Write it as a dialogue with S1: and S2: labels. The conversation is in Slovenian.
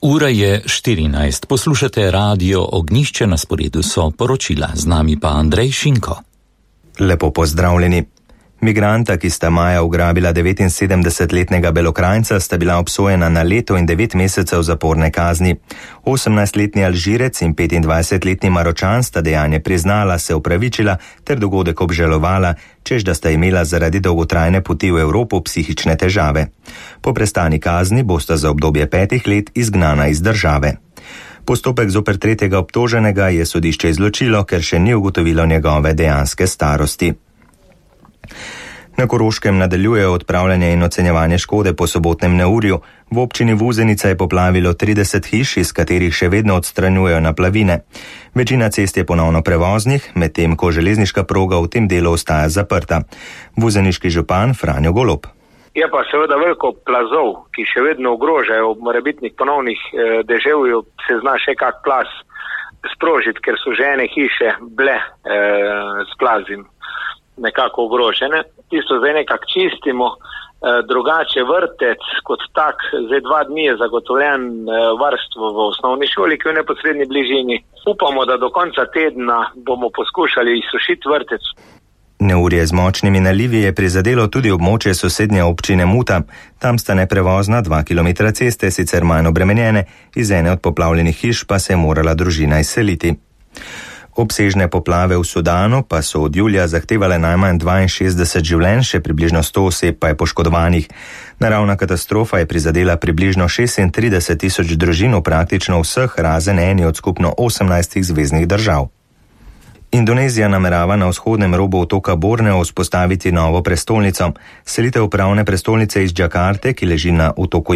S1: Ura je 14. Poslušate Radio Ognjišče, na sporedu so poročila. Z nami pa Andrej Šinko.
S2: Lepo pozdravljeni. Migranta, ki sta maja ugrabila 79-letnega Belokranjca, sta bila obsojena na leto in 9 mesecev zaporne kazni. 18-letni Alžirec in 25-letni Maročan sta dejanje priznala, se opravičila ter dogodek obžalovala, čež da sta imela zaradi dolgotrajne poti v Evropo psihične težave. Po prestani kazni bosta za obdobje 5 let izgnana iz države. Postopek zoper tretjega obtoženega je sodišče izločilo, ker še ni ugotovilo njegove dejanske starosti. Na Koroškem nadaljuje odpravljanje in ocenjevanje škode po sobotnem neurju. V občini Vuzenica je poplavilo 30 hiš, iz katerih še vedno odstranjujejo naplavine. Večina cest je ponovno prevoznih, medtem ko železniška proga v tem delu ostaja zaprta. Vuzeniški župan Franjo Golob.
S3: Je pa seveda veliko plazov, ki še vedno ogrožajo ob morebitnih ponovnih deževju, se zna še kak plaz sprožiti, ker so že ene hiše bile s plazim nekako ogrožene. Tisto zdaj nekako čistimo, drugače vrtec kot tak, zdaj 2 dni je zagotovljen varstvo v osnovni šoli, ki je v neposredni bližini. Upamo, da do konca tedna bomo poskušali izsušiti vrtec.
S2: Neurje z močnimi nalivi je prizadelo tudi območje sosednje občine Muta. Tam sta neprevozna 2 km ceste, sicer manj obremenjene, iz ene od poplavljenih hiš pa se je morala družina izseliti. Obsežne poplave v Sudanu pa so od julija zahtevale najmanj 62 življenj, še približno 100 oseb pa je poškodovanih. Naravna katastrofa je prizadela približno 36.000 družin v praktično vseh, razen eni od skupno 18 zveznih držav. Indonezija namerava na vzhodnem robu otoka Borneo vzpostaviti novo prestolnico. Selitev pravne prestolnice iz Džakarte, ki leži na otoku